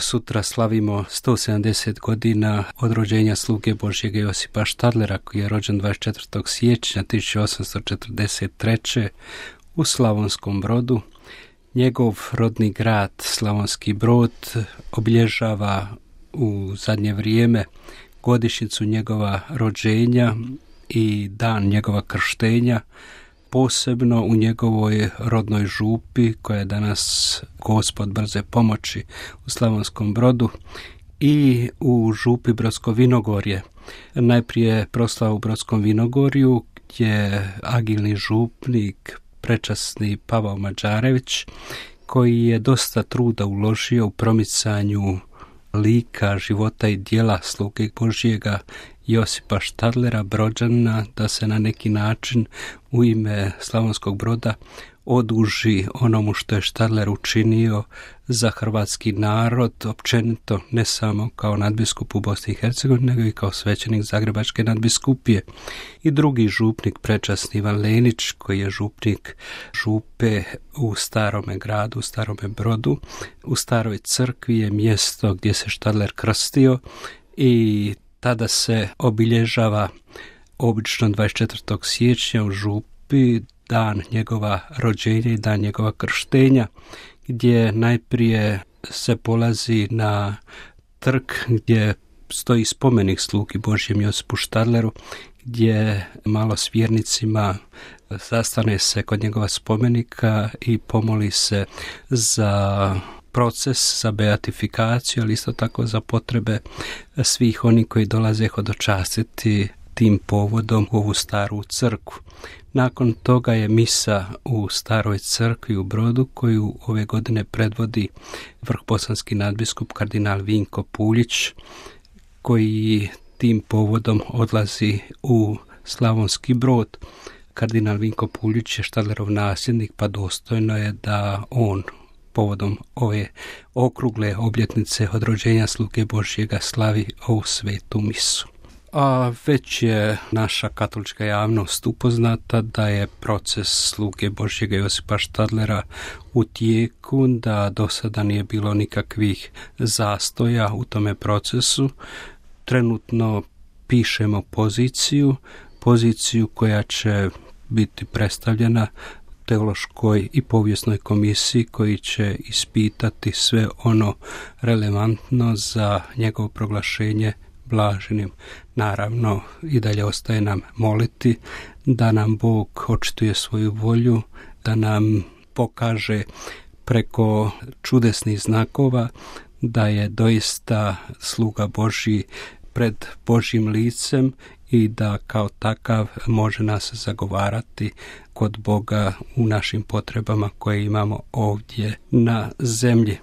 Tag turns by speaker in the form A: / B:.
A: Sutra slavimo 170 godina od rođenja sluge Božjega Josipa Štadlera, koji je rođen 24. siječnja 1843. u Slavonskom Brodu. Njegov rodni grad Slavonski Brod obilježava u zadnje vrijeme godišnjicu njegova rođenja i dan njegova krštenja, posebno u njegovoj rodnoj župi, koja je danas Gospod brze pomoći u Slavonskom Brodu, i u župi Brodsko Vinogorje. Najprije proslava u Brodskom Vinogorju, gdje agilni župnik, prečasni Pavao Mađarević, koji je dosta truda uložio u promicanju lika, života i djela sluge Božjega Josipa Štadlera, Brođana, da se na neki način u ime Slavonskog Broda oduži onomu što je Štadler učinio za hrvatski narod, općenito, ne samo kao nadbiskup u Bosni i Hercegovini, nego i kao svećenik Zagrebačke nadbiskupije. I drugi župnik, prečasni Ivan Lenić, koji je župnik župe u Starome gradu, u Starome Brodu. U Staroj crkvi je mjesto gdje se Štadler krstio i tada se obilježava obično 24. siječnja u župi dan njegova rođenja i dan njegova krštenja, gdje najprije se polazi na trg gdje stoji spomenik slugi Božjem Josipu Štadleru, gdje malo s vjernicima zastane se kod njegova spomenika i pomoli se za proces, za beatifikaciju, ali isto tako za potrebe svih oni koji dolaze hodočastiti tim povodom u ovu staru crkvu. Nakon toga je misa u Staroj crkvi u Brodu, koju ove godine predvodi vrhbosanski nadbiskup kardinal Vinko Puljić, koji tim povodom odlazi u Slavonski Brod. Kardinal Vinko Puljić je Štadlerov nasljednik, pa dostojno je da on povodom ove okrugle obljetnice od rođenja sluge Božjega slavi ovu svetu misu. A već je naša katolička javnost upoznata da je proces sluge Božjega Josipa Štadlera u tijeku, da do sada nije bilo nikakvih zastoja u tome procesu. Trenutno pišemo poziciju koja će biti predstavljena teološkoj i povijesnoj komisiji, koji će ispitati sve ono relevantno za njegovo proglašenje blaženim. Naravno, i dalje ostaje nam moliti da nam Bog očituje svoju volju, da nam pokaže preko čudesnih znakova da je doista sluga Božji pred Božjim licem i da kao takav može nas zagovarati kod Boga u našim potrebama koje imamo ovdje na zemlji.